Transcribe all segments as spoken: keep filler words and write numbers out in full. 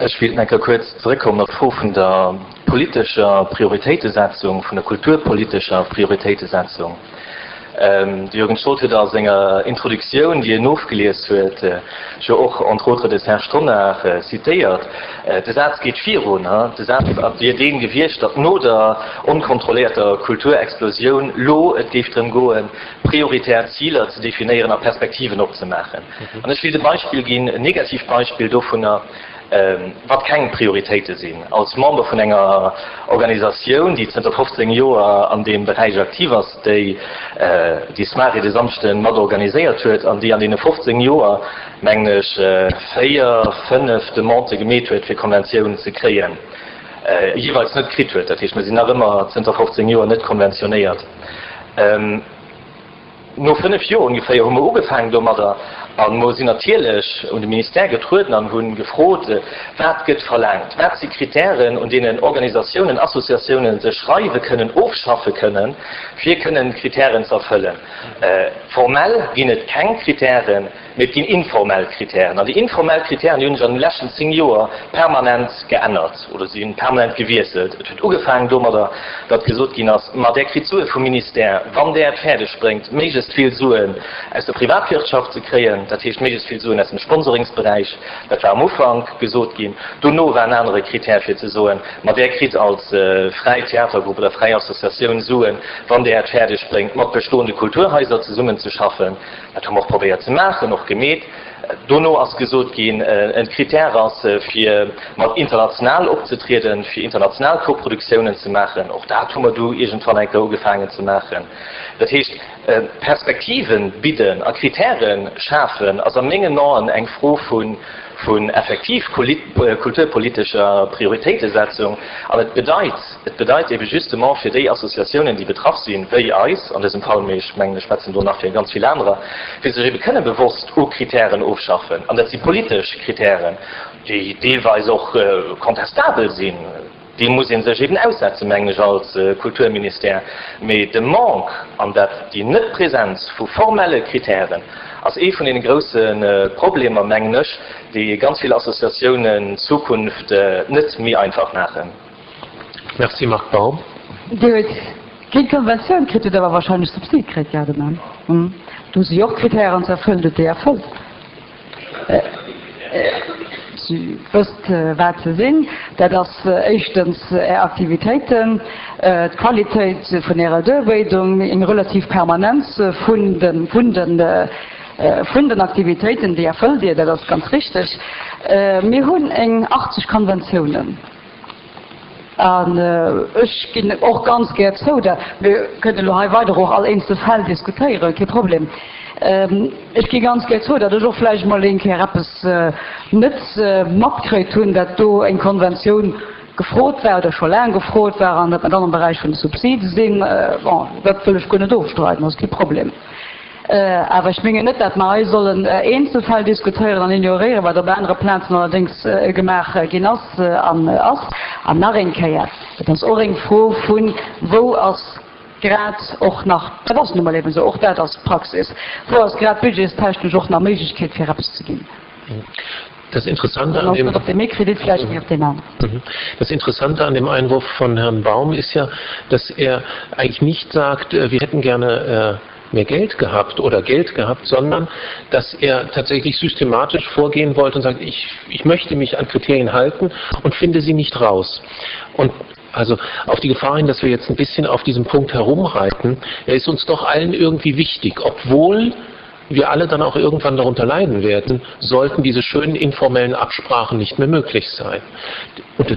Ech wéilt nach eng Kéier kuerz zeréckkommen op d'Fro vun der politescher Prioritéitesetzung, vun der kulturpolitescher Prioritéitesetzung. De Jürgen Stroth huet a senger Introduktioun, déi en ofgelies huet, jo och entre autres de Serge Tonnar zitéiert. De Saz geet virun, de Saz wier dee gewiescht, datt no der onkontrolléierter Kulturexplosioun lo et géif drëm goen, prioritär Ziler ze definéieren a Perspektiven opzemaachen. An ech wéilt e Beispill ginn, en Negativbeispill dovunner, wat keng Prioritéite sinn. Als Member vun enger Organisatioun, déi zënter fofzéng Joer an deem Beräich aktiv ass, déi déi Soirée de Samschde mat organiséiert huet an déi an deene fofzéng Joer, mengen ech, véier, fënnef Demandë gemeet huet, fir Konventioun ze kréien, jeeweils net kritt huet. Dat heescht, mir sinn nach ëmmer zënter fofzéng Joer net konventionéiert. No fënnef Joer ongeféier hu mer ugefaangen domadder a mer sinn natierlech un de Ministère getrueden an hu gefrot, Wat gëtt verlaangt? Wat si Kritären, un deenen Organisatiounen, Associatiounen sech reiwe kënnen, ofschaffe kënnen, fir kënnen d'Kritären ze erfëllen? Formell ginn et keng Kritären. Mee et ginn informell Kritären. An déi informell Kritären, déi hunn sech an de leschten zéng Joer permanent geännert oder si hunn permanent gewiesselt. Et huet ugefaangen domadder, datt gesot ginn ass, Ma där kritt Sue vum Ministère, wann där et fäerdeg bréngt, méiglechst vill Suen aus der Privatwirtschaft ze kréien, dat heescht méiglechst vill Suen aus dem Sponsoringsberäich. Dat war am Ufank gesot ginn. Dono war en anere Kritär fir ze soen, Ma där kritt als fräi Theatergrupp oder fräi Associatioun Suen, wann där et fäerdeg bréngt, mat bestoende Kulturhaiser zesummenzeschaffen. Dat hu mer och probéiert ze maachen, och gemeet. Dono ass gesot ginn, en Critère ass, fir mat international opzetrieden, fir international Koproduktiounen ze maachen. Och dat hu mer du iergendwann eng Kéier ugefaangen ze maachen. Dat heescht, Perspektiven bidden a Critèrë schafen ass a mengen Aen eng Fro vu vun effektiv kulturpolitescher Prioritéitesetzung. An et bedeit, et bedeit ebe justement fir déi Associatiounen, déi betraff sinn, wéi eis an dësem Fall, mee ech mengen, ech schwätzen do nach fir ganz vill anerer, fir sech ebe kënne bewosst u Kritären ofschaffen. An dat si politesch Kritären, déi deelweis och contestabel sinn. Deem muss ee sech eben aussetzen, mengen ech, als Kulturministère. Mee de Manque an dat, déi Net-Präsenz vu formelle Kritären ass ee vun deene grousse Problemer, mengen ech, déi ganz vill Associatiounen d'Zukunft net méi einfach maachen. Merci, Marc Baum. Dir huet keng Konventioun kritt, hutt awer wahrscheinlech Subsid kritt, jo, demain. Do si jo och Kritären ze erfëllen, hutt déi erfëllt? Dir wësst, wat se sinn. Dat ass éischtens Är Aktivitéiten, d'Qualitéit vun Ärer Duerbéidung, eng relativ Permanenz vun den, vun den, vun den Aktivitéiten, déi erfëllt Dir, dat ass ganz richteg. Mir hunn eng achtzeg Konventiounen. An ech ginn och ganz gär zou, dat mir kënnen elo hei weider och all eenzel Fäll diskutéieren, kee Problem. Ech gi ganz gär zou, datt ech och vläicht emol eng Kéier eppes net matkritt hunn, datt do eng Konventioun gefrot war oder scho laang gefrot war an datt mer dann am Beräich vun de Subside sinn. Bon, dat wëll ech guer net ofstreiden, ass kee Problem. Awer ech mengen net, datt mer hei sollen Eenzelfäll diskutéieren an ignoréieren, wat op anere Plazen allerdéngs gemaach ginn ass an ass. An nach eng Kéier, et ass och eng Fro vun, Wou ass grad och nach, dat ass nu mol eben esou, och dat ass Praxis, wou ass grad budgetstechnesch och nach Méiglechkeet fir eppes ze ginn? Das Interessante an dem, op dem Kredit vielleicht mhm. auf den mhm. Das Interessante an dem Einwurf von Herrn Baum ist ja, dass er eigentlich nicht sagt, äh, wir hätten gerne äh, mehr Geld gehabt oder Geld gehabt, sondern dass er tatsächlich systematisch vorgehen wollte und sagt, ich, ich möchte mich an Kriterien halten und finde sie nicht raus. Und also auf die Gefahr hin, dass wir jetzt ein bisschen auf diesem Punkt herumreiten, er ist uns doch allen irgendwie wichtig, obwohl wir alle dann auch irgendwann darunter leiden werden, sollten diese schönen informellen Absprachen nicht mehr möglich sein, und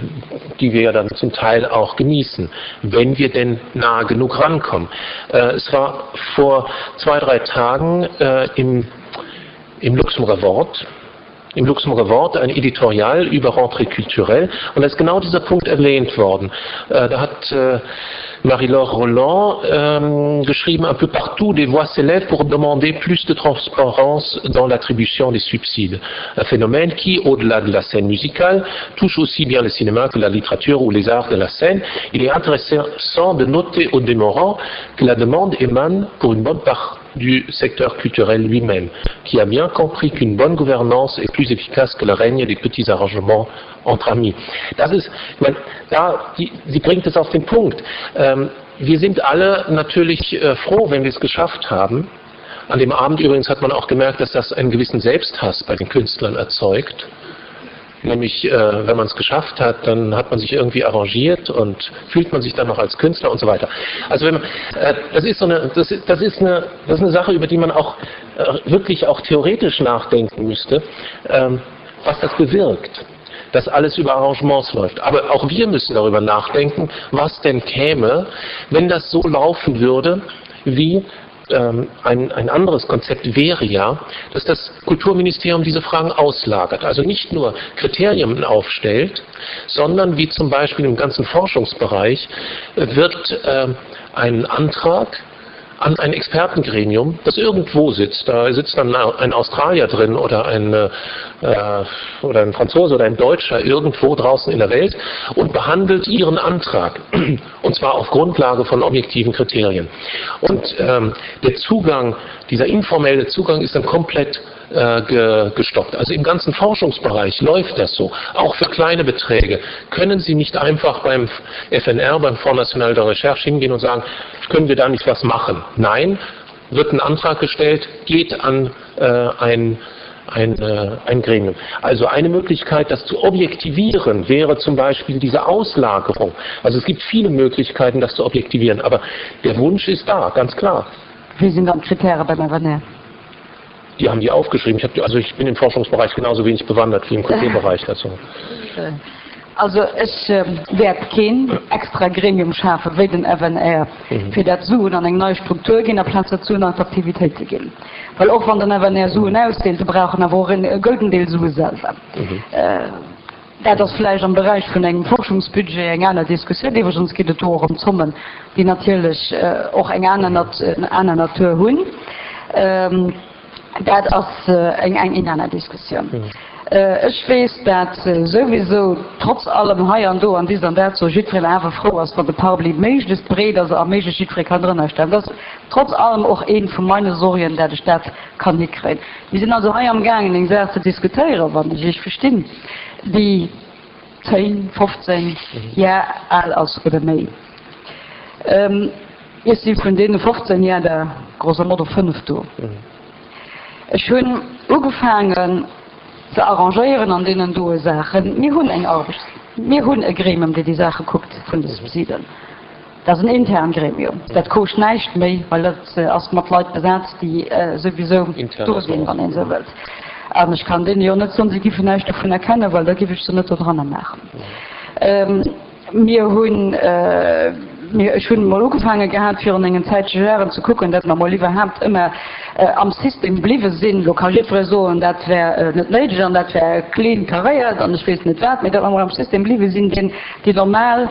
die wir ja dann zum Teil auch genießen, wenn wir denn nah genug rankommen. Äh, es war vor zwei, drei Tagen äh, im, im Luxemburger Wort, im Luxemburger Wort ein Editorial über Rentrée culturelle und da ist genau dieser Punkt erwähnt worden. Äh, da hat äh, Marie-Laure Roland ähm, geschrieben, un peu partout des voix s'élèvent pour demander plus de transparence dans l'attribution des subsides. Un phénomène qui, au-delà de la scène musicale, touche aussi bien le cinéma que la littérature ou les arts de la scène. Il est intéressant de noter au demeurant que la demande émane pour une bonne part du secteur culturel lui-même, qui a bien compris qu'une bonne gouvernance est plus efficace que le règne des petits arrangements entre amis. Das ist, ich meine, da, die, sie bringt es auf den Punkt. Ähm, wir sind alle natürlich äh, froh, wenn wir es geschafft haben. An dem Abend übrigens hat man auch gemerkt, dass das einen gewissen Selbsthass bei den Künstlern erzeugt. Nämlich, äh, wenn man es geschafft hat, dann hat man sich irgendwie arrangiert und fühlt man sich dann noch als Künstler und so weiter. Also wenn man, äh, das ist so eine, das, das ist eine, das ist eine Sache, über die man auch äh, wirklich auch theoretisch nachdenken müsste, ähm, was das bewirkt dass alles über Arrangements läuft. Aber auch wir müssen darüber nachdenken, was denn käme, wenn das so laufen würde, wie ähm, ein, ein anderes Konzept wäre ja, dass das Kulturministerium diese Fragen auslagert, also nicht nur Kriterien aufstellt, sondern wie zum Beispiel im ganzen Forschungsbereich äh, wird äh, ein Antrag an ein Expertengremium, das irgendwo sitzt. Da sitzt dann ein Australier drin oder ein, äh, oder ein Franzose oder ein Deutscher irgendwo draußen in der Welt und behandelt ihren Antrag. Und zwar auf Grundlage von objektiven Kriterien. Und ähm, der Zugang, dieser informelle Zugang ist dann komplett äh, ge gestoppt. Also im ganzen Forschungsbereich läuft das so. Auch für kleine Beträge können Sie nicht einfach beim F N R, beim Fonds National de Recherche hingehen und sagen, können wir da nicht was machen? Nein, wird ein Antrag gestellt, geht an, äh, ein, ein, äh, ein Gremium. Also eine Möglichkeit, das zu objektivieren, wäre zum Beispiel diese Auslagerung. Also es gibt viele Möglichkeiten, das zu objektivieren, aber der Wunsch ist da, ganz klar. Wie sind dann Kriterien beim F N R? Die haben die aufgeschrieben. Ich hab die, also ich bin im Forschungsbereich genauso wenig bewandert wie im Kulturbereich dazu. Also ich äh, werde kein extra Gremium schaffen, wie den F N R, Mhm. für das Suen an eine neue Struktur gehen, amplaz dazu nach Aktivitäten gehen. Weil auch wenn der F N R Suen ausdeelt, brauchen wir auch einen guten Teil Suen selber. Mhm. Äh, das ist vielleicht am Bereich von einem Forschungsbudget eine andere Diskussion, die wir uns geht es auch um Summen, die natürlich, äh, auch eine andere Nat-, eine andere Natur haben. Ähm, das ist, äh, eng, eng in einer Diskussion. Mhm. Äh, ich weiß, dass, äh, sowieso trotz allem hei an do an dieser und dat so jiddwereen awer froh ass, wann de Parapluie méiglechst breet ass a méiglechst jiddweree kann drënner stellen. Das ist trotz allem auch een von meinen Sorgen, dat ich dat kann nicht kriegen. Wir sind also hei am Gang, eng Sache zu diskutieren, wann ich ich verstehe, die zehn, fünfzehn Mhm. Jahre alt ass oder méi. Ähm, ich bin von denen fünfzehn Jahre der grosso modo fünf do. Mhm. Ich hun ugefangen zu arrangieren an denen do Sachen. Mir hun eng Arbeit. Mir hun e Gremium, der die Sache guckt von den Subsidien. Das ist ein intern Gremium. Das kostet nicht mehr, weil das, äh, erst mit Leuten besetzt, die, äh, sowieso Intern durch sind, erstmal. wenn man so will. Aber ich kann den ja nicht sonst, sie geben nicht davon erkennen, weil da gebe ich so nicht dran machen. Ähm, mir hun, äh, mir, ich hun mal angefangen gehabt, für eine Zeit zu Jahren zu gucken, dass man mal überhaupt immer, äh, am System blieben sind, lokal so, und das wär, äh, nicht nötig, und das wär clean kariert, und ich weiß nicht was, aber dass wir mal am System blieben sind, denn die normal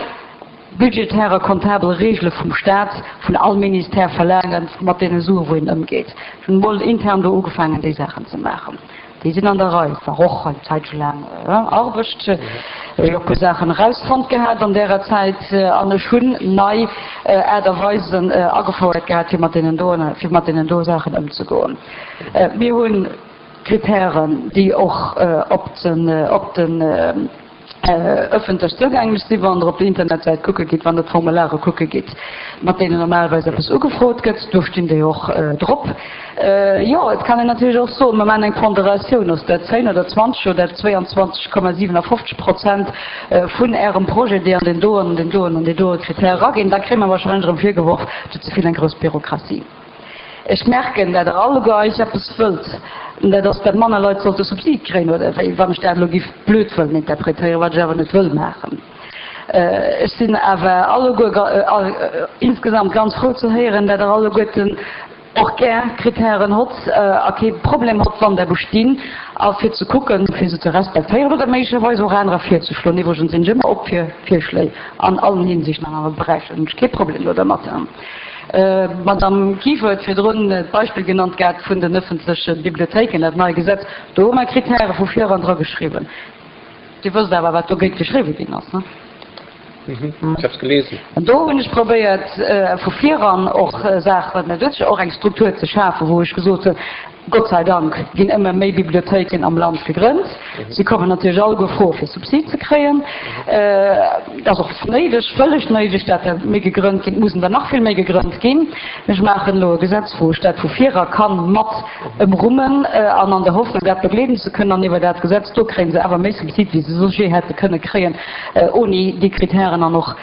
budgetäre, kontable Regeln vom Staat, von allen Ministerien verlangen, mit denen so, wo ihnen umgeht. Ich bin mal intern da angefangen, die Sachen zu machen. Die sind an der Reihe, war auch eine Zeit schon lang, äh, Arbeit. Ich hab Sachen rausfand gehabt an der Zeit, äh, an der Schule neu, äh, Art und Weise, äh, angefordert gehabt, für mit denen da, für mit denen da Sachen umzugehen. Äh, wir haben Kriterien, die auch, äh, ob den, äh, ob den, äh, äh, öffentlich zugänglich sind, wenn ihr auf die Internetseite gucken geht, wenn ihr Formulare gucken geht, mit denen normalerweise etwas angefragt wird, da stehen die auch, äh, drauf. Äh, ja, es kann natürlich auch so, wenn man eine Ponderation aus der zehn oder zwanzig oder zweiundzwanzig Komma siebenundfünfzig Prozent, äh, von ihrem Projekt, die an den Doren, den Doren und den Doren Kriterien rangehen, da kriegen wir wahrscheinlich dafür geworfen, zu zu viel eine große Bürokratie. Ich merke, dass der alle Geist etwas füllt, dass der Mann Leute sollte Subsid kriegen, oder wenn ich das Logik blöd will interpretieren, was ich aber nicht will machen. Äh, es sind aber alle gut, äh, äh, insgesamt ganz froh zu hören, dass alle Guten auch gern Kriterien hat, äh, okay, Problem hat, wann der bestehen, auch für zu gucken, für sie zu respektieren oder möglicherweise auch andere für zu schlagen. Übrigens sind immer auch für Vorschläge an allen Hinsichten, an allen Bereichen. Ich kein Problem oder mit. Äh, Madame Kiefer hat für drin das Beispiel genannt gehabt von den öffentlichen Bibliotheken, das neue Gesetz, da haben wir Kriterien von vier andere geschrieben. Die wussten aber, was da geht geschrieben ist, ne? Mhm. Ich habe es gelesen. An do hunn ech probéiert vu viran och Saachen, och eng Struktur ze schafen, wou ech gesot hunn, Gott sei Dank ginn ëmmer méi Bibliothéiken am Land gegrënnt. Si kommen natierlech alleguer froe fir Subsid ze kréien. Et ass och néideg, vëlleg néideg, dat der méi gegrënnt ginn. Et mussen der nach vill méi gegrënnt ginn. Ech maachen elo e Gesetz, wou ech dat vu vira ka mat ëmrummen an an der Hoffnung, dat begleeden ze kënnen. An iwwer dat Gesetz do kréie se awer méi Subsid, wéi se soss jee hätte kënne kréien ouni déi Kritären an och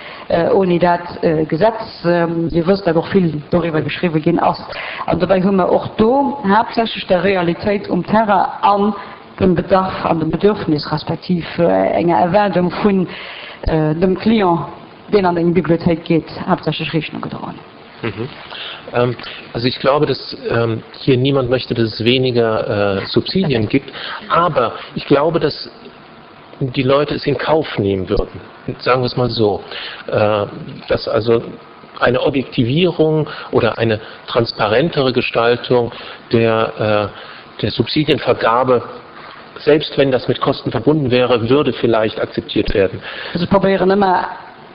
ouni dat Gesetz. Dir wësst, dat och vill doriwwer geschriwwen ginn ass. An dobäi hu mer och do haaptsächlech der Realitéit um Terrain an dem Bedarf an dem Bedürfnis respektiv enger Erwaardung vun dem Client, deen an eng Bibliothéik geet, haaptsächlech Rechnung gedroen. Mhm. Also ich glaube, dass ähm, hier niemand möchte, dass es weniger äh, Subsidien gibt, aber ich glaube, dass die Leute es in Kauf nehmen würden. Sagen wir es mal so, äh, dass also eine Objektivierung oder eine transparentere Gestaltung der, äh, der Subsidienvergabe, selbst wenn das mit Kosten verbunden wäre, würde vielleicht akzeptiert werden. Also probéieren ëmmer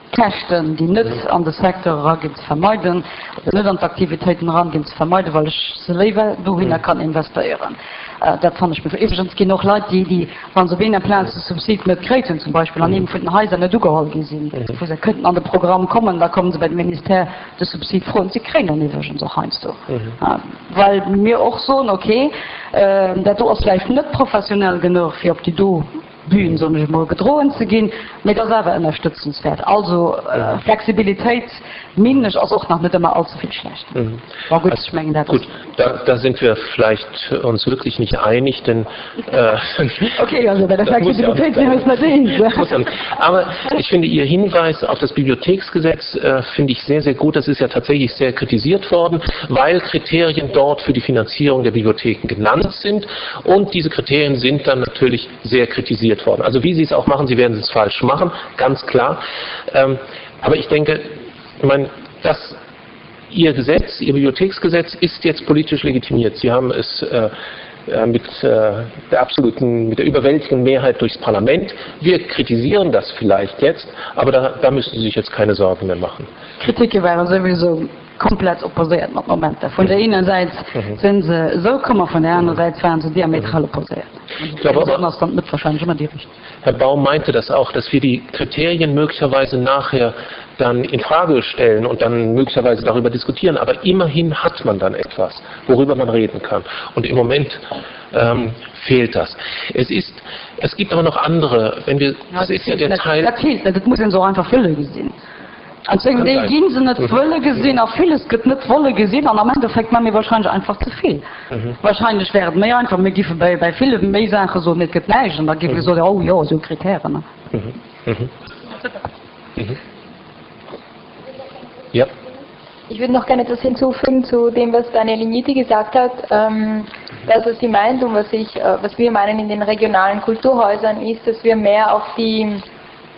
Käschten, déi net an de Secteur eraginn, ze vermeiden, oder net an d'Aktivitéiten eranginn, ze vermeiden, well ech se léiwer dohinner kann investéieren. Dat fannen ech méi. Iwwregens ginn och Leit, déi, déi, wa se op enger Plaz de Subsid net kréit hunn, zum Beispill an eengem vun den Haiser net ugeholl gi sinn, wou se kënnten an de Programm kommen, da komme se bei de Ministère de Subsid froen. Se kréien en iwwregens och heiansdo, well mir och soen, okay, dat do ass vläicht net professionell genuch, fir op déi do Bühn, soen ech emol, gedroen ze ginn, mee et ass awer ënnerstëtzenswäert. Also Flexibilitéit, meengen ech, ass och nach net ëmmer allze vill schlecht. Bon, gutt, ech mengen, dat ass. Gut, da, da sind wir vielleicht uns wirklich nicht einig, denn äh, Okay, also bei der Flexibilitéit si mir eis net eens. Aber ich finde Ihr Hinweis auf das Bibliotheksgesetz äh, finde ich sehr, sehr gut. Das ist ja tatsächlich sehr kritisiert worden, weil Kriterien dort für die Finanzierung der Bibliotheken genannt sind und diese Kriterien sind dann natürlich sehr kritisiert worden. Also wie Sie es auch machen, Sie werden es falsch machen, ganz klar. Ähm, aber ich denke, ich meine, das Ihr Gesetz, Ihr Bibliotheksgesetz ist jetzt politisch legitimiert. Sie haben es äh, äh mit äh, der absoluten, mit der überwältigenden Mehrheit durchs Parlament. Wir kritisieren das vielleicht jetzt, aber da, da müssen Sie sich jetzt keine Sorgen mehr machen. Kritike ware souwisou komplett opposéiert mat Momenter. Vun der ener Säit si se esou komm a vun der anerer Säit waren se diametral opposéiert. Ich glaube aber, ass dann d'Mëtt wahrscheinlech ëmmer déi richteg. Herr Baum meinte das auch, dass wir die Kriterien möglicherweise nachher dann in Frage stellen und dann möglicherweise darüber diskutieren, aber immerhin hat man dann etwas, worüber man reden kann. Und im Moment ähm, fehlt das. Es ist, es gibt aber noch andere, wenn wir, das ist ja der Teil. Dat feelt net, et muss een se och einfach wëlle gesinn. An zum Deel gi se net wëlle gesinn a villes gëtt net wolle gesinn an am Endeffekt maache mir wahrscheinlech einfach ze vill. Wahrscheinlech wär et méi einfach, mir giffe bei bei ville méi Saache soen, et gëtt näischt an da géife gesot, oh jo, esou Kritären. Ja. Ich würde noch gerne etwas hinzufügen zu dem, was Daniel Igniti gesagt hat. Ähm, das, was sie meint und was, ich, äh, was wir meinen in den regionalen Kulturhäusern, ist, dass wir mehr auf die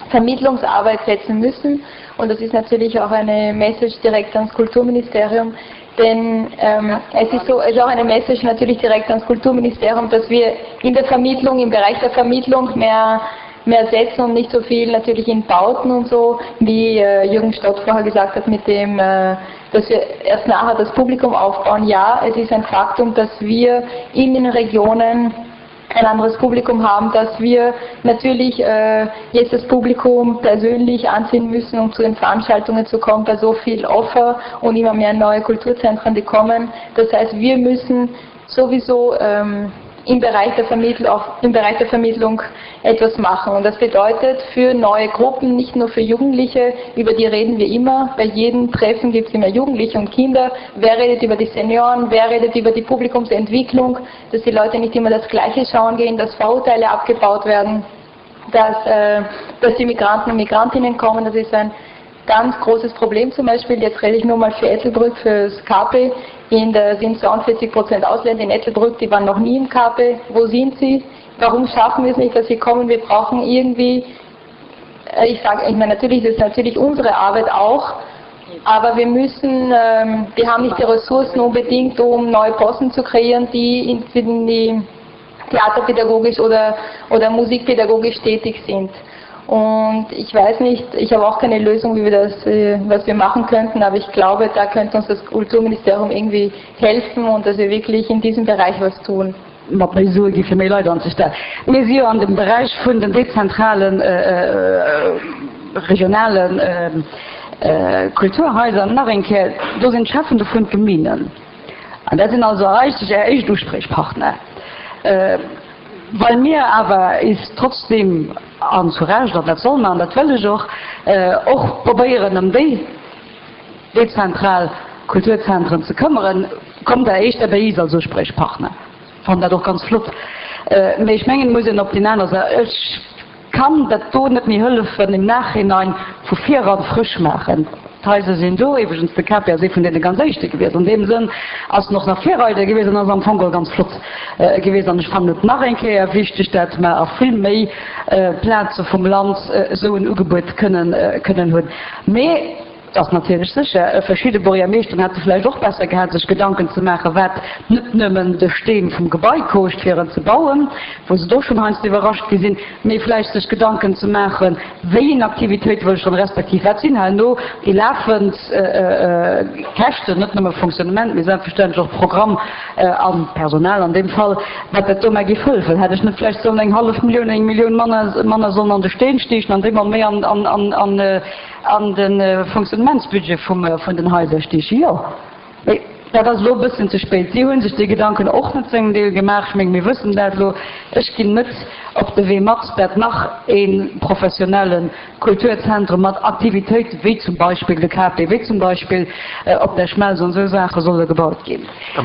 Vermittlungsarbeit setzen müssen. Und das ist natürlich auch eine Message direkt ans Kulturministerium, denn ähm, es ist so, es ist auch eine Message natürlich direkt ans Kulturministerium, dass wir in der Vermittlung, im Bereich der Vermittlung mehr mehr setzen und nicht so viel natürlich in Bauten und so, wie äh, Jürgen Stott vorher gesagt hat, mit dem, äh, dass wir erst nachher das Publikum aufbauen. Ja, es ist ein Faktum, dass wir in den Regionen ein anderes Publikum haben, dass wir natürlich äh, jetzt das Publikum persönlich anziehen müssen, um zu den Veranstaltungen zu kommen, bei so viel Offer und immer mehr neue Kulturzentren, die kommen. Das heißt, wir müssen sowieso ähm, im Bereich der Vermittlung, auch im Bereich der Vermittlung etwas machen. Und das bedeutet für neue Gruppen, nicht nur für Jugendliche, über die reden wir immer. Bei jedem Treffen gibt es immer Jugendliche und Kinder. Wer redet über die Senioren? Wer redet über die Publikumsentwicklung? Dass die Leute nicht immer das Gleiche schauen gehen, dass Vorurteile abgebaut werden, dass, äh, dass die Migranten und Migrantinnen kommen. Das ist ein ganz großes Problem zum Beispiel. Jetzt rede ich nur mal für Ettelbrück, fürs K P. In der sind zweiundvierzig Prozent Ausländer in Ettelbrück, die waren noch nie im K P. Wo sind sie? Warum schaffen wir es nicht, dass sie kommen? Wir brauchen irgendwie, äh, ich sage, ich meine, natürlich ist es natürlich unsere Arbeit auch, aber wir müssen, ähm, wir haben nicht die Ressourcen unbedingt, um neue Posten zu kreieren, die in, in die theaterpädagogisch oder, oder musikpädagogisch tätig sind. Und ich weiß nicht, ich habe auch keine Lösung, wie wir das, äh, was wir machen könnten, aber ich glaube, da könnte uns das Kulturministerium irgendwie helfen und dass wir wirklich in diesem Bereich was tun. Mat méi Sue gi fir méi Leit anzestellen. Mir si jo an dem Beräich vun den dezentralen, regionale Kulturhaiser nach eng Kéier, do sinn d'Cheffen dovun d'Geminen. An dat sinn also eigentlech Är éischt Uspriechpartner. Well mir awer is trotzdem, an zu Recht, an dat soll mer an dat wëll ech och, och probéieren ëm déi dezentral Kulturzentren ze këmmeren, kommt Der éischter bei is als Uspriechpartner. Fannen dat och ganz flott. Mee ech mengen, et muss een op déi aner Säit, ech kann dat do net méi hëllefen im Nachhinein, vu viran frësch maachen. D'Haiser sinn do. Iwwregens, de Cape ass ee vun deene ganz éischte gewiescht. An deem Sënn ass en och nach Virreider gewiescht an ass am Fong geholl ganz flott gewiescht. An ech fannen et nach eng Kéier wichteg, dat mer a vill méi Plaze vum Land esou en Ugebuet kënnen kënnen hunn. Mee et ass natierlech sécher, verschidde Buergermeeschteren hätte vläicht och besser gehat, sech Gedanken ze maachen, wat net nëmmen de Steen vum Gebai kooscht, fir en ze bauen, wou se do schonn heiansdo iwwerrascht gi sinn, mee vläicht sech Gedanken ze maachen, wéi eng Aktivitéit wëll ech dann, respektiv wat sinn herno déi lafend Käschten, net nëmme Fonctionnement, mee selbstverständlech och Programm a Personal an deem Fall, wat dat do mar géif hëllefen. Hätt ech net vläicht sollen eng hallef Millioun, eng Millioun manner manner sollen an de Steen stiechen an déi mer méi an an an de Fonctionnementsbudget vum vun den Haiser stiechen? Jo, mee dat ass elo e bëssen ze spéit. Si hu sech déi Gedanken och net zu engem Deel gemaach. Ech menge mir wëssen dat elo. Ech ginn net op de Wee mat, dat nach ee professionelle Kulturzentrum mat Aktivitéiten, wéi zum Beispill de K P, wéi zum Beispill op der Schmelz an esou Saache solle gebaut ginn.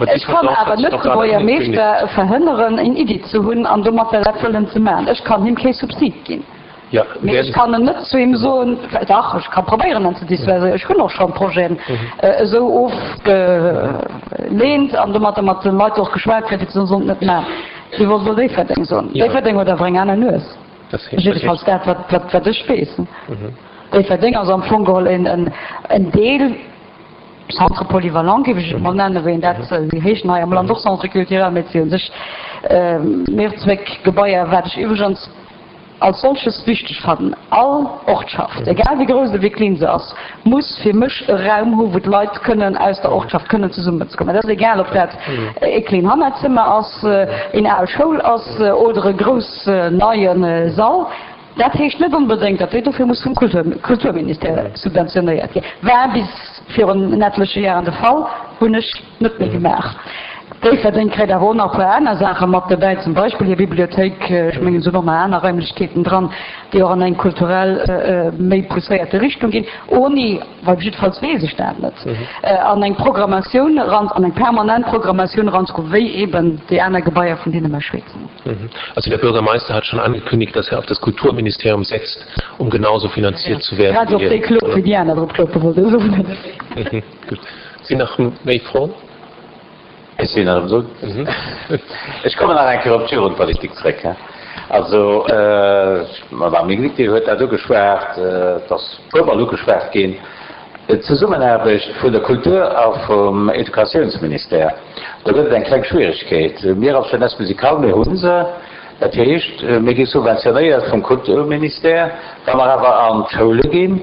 Ech kann awer net de Buergermeeschter verhënneren, eng Iddi ze hunn an domatter dat wëllen ze maachen. Ech kann him kee Subsid ginn. Mee ech kann en net zu him soen, dach, ech ka probéieren en ze dissuasieren, ech hunn och schonn Projeten esou ofgeleent an domatter mat de Leit och geschwat kritt, déi ze soen, sollt net maachen. Wéi wollt elo Déifferdeng soen? Déifferdeng huet awer eng aner Nues. Jiddefalls dat, wat, wat ech weess. Déifferdeng ass am Fong geholl en, en Deel, Centre polyvalent géif ech et mol nennen, wéi een dat, si heeschen hei am Land och Centre culturel, mee et si u sech Mehrzweckgebaier, wat ech iwwregens als solches wichteg fannen. All Ortschaft, egal wéi grouss oder wéi kleen se ass, muss fir mech e Raum hu wou d'Leit kënnen aus der Ortschaft kënnen zesummenzekommen. Et ass egal, ob dat e kleen Hannerzëmmer ass, een al Schoul ass oder e grouss neie Sall. Dat heescht net onbedéngt, datt déi dofir muss vum Kulturministère subventionéiert ginn. War bis virun en etleche Jaren de Fall, hunn ech net méi gemaach. Déifferdeng kréit awer och nach e puer aner Saache mat dobäi, zum Beispill hir Bibliothéik, ech mengen, se hunn och nach aner Raimlechkeeten dran, déi och an eng kulturell méi pousséierte Richtung ginn, oni, well jiddefalls weess ech dat net, an eng Programmatioun eran, an eng permanent Programmatioun eranzekommen, wéi eben déi aner Gebaier, vun deene mer schwätzen. Also der Bürgermeister hat schon angekündigt, dass er auf das Kulturministerium setzt, um genauso finanziert zu werden. Grad op déi Klop, wéi déi aner drop kloppe, wollt ech soen. Gutt. Sinn nach méi Froen? Ech sinn nach esou. Ech kommen nach eng Kéier op d'Jugendpolitik zréck. Also, d'Madame Minniti huet dat ugeschwat, et ass e puermol ugeschwat ginn, d'Zesummenaarbecht vun der Kultur a vum Educatiounsministère. Do gëtt et eng kleng Schwieregkeet. Mir als Jeunesse musicale, mir hu se, dat heescht, mir gi subventionéiert vum Kulturministère. Wa mer awer an d'Schoule ginn,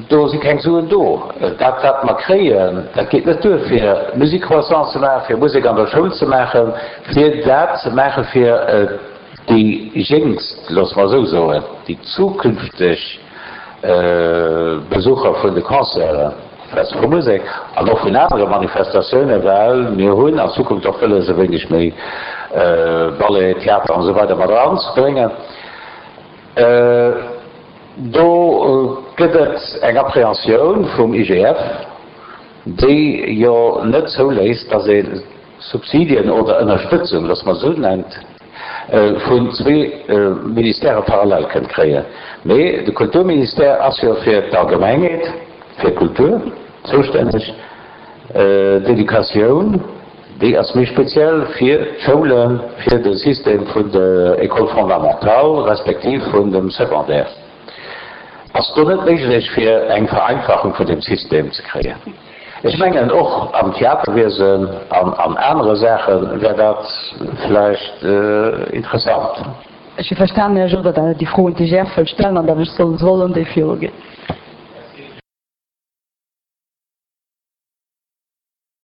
Do si keng Suen do. Dat, wat mer kréien, dat geet net duer, fir Musique croissant ze maachen, fir Musek an der Schoul ze maachen, fir dat ze maache fir déi Jéngst, loosse mer esou soen, déi zukünfteg Besucher vun de Concerten, vu Musek an och vun anere Manifestatiounen, well mir hunn an Zukunft och wëlles, e wéineg méi Ballet, Theater an esou weider mat eranzebréngen. Do gëtt et eng Appréhensioun vum I G F, déi jo net zouléisst, datt ee Subsidien oder Ënnerstëtzung, loosse mer et esou nennt, vun zwee Ministèrë parallel kënnt kréien. Mee de Kulturministère ass jo fir d'Allgemengheet, fir d'Kultur zoustänneg. D'Educatioun, déi ass méi speziell fir d'Schoulen, fir de System vun der École fondamentale respektiv vun dem Secondaire. Ass do net méiglech, fir eng Vereinfachung vun dem System ze kréien? Ech mengen, och am Theaterwiesen an an anere Saache wär dat vläicht interessant. Ech hu verstanen, Här Jourdan, datt Der déi Froen, déi ech Äech wëllt stellen, an datt ech soll sollen déi viruginn.